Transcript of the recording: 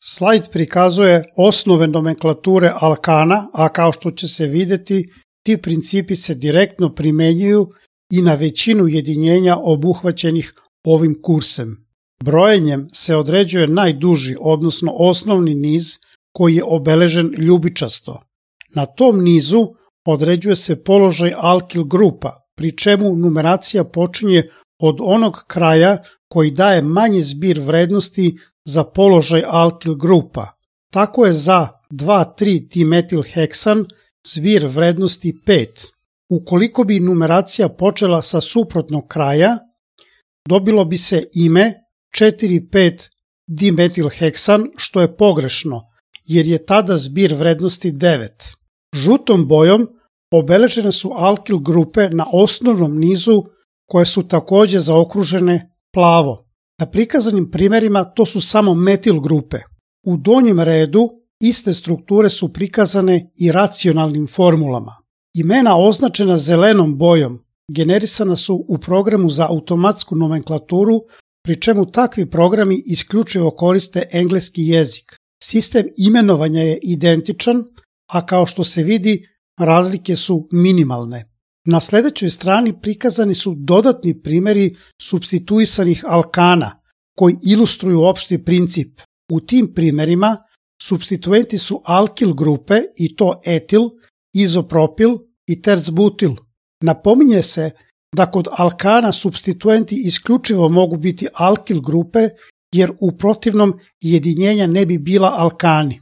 Slajd prikazuje osnove nomenklature alkana, a kao što će se vidjeti, ti principi se direktno primenjuju i na većinu jedinjenja obuhvaćenih ovim kursem. Brojenjem se određuje najduži, odnosno osnovni niz koji je obeležen ljubičasto. Na tom nizu određuje se položaj alkil grupa, pri čemu numeracija počinje od onog kraja koji daje manji zbir vrednosti za položaj alkil grupa. Tako je za 2,3-dimetilheksan zbir vrednosti 5. Ukoliko bi numeracija počela sa suprotnog kraja, dobilo bi se ime 4,5-dimetilheksan, što je pogrešno, jer je tada zbir vrednosti 9. Žutom bojom obeležene su alkil grupe na osnovnom nizu koje su takođe zaokružene plavo. Na prikazanim primerima to su samo metil grupe. U donjem redu iste strukture su prikazane i racionalnim formulama. Imena označena zelenom bojom generisana su u programu za automatsku nomenklaturu, pri čemu takvi programi isključivo koriste engleski jezik. Sistem imenovanja je identičan, a kao što se vidi, razlike su minimalne. Na sledećoj strani prikazani su dodatni primeri supstituisanih alkana, koji ilustruju opšti princip. U tim primerima supstituenti su alkil grupe, i to etil, izopropil i tercbutil. Napominje se da kod alkana supstituenti isključivo mogu biti alkil grupe, jer u protivnom jedinjenja ne bi bila alkani.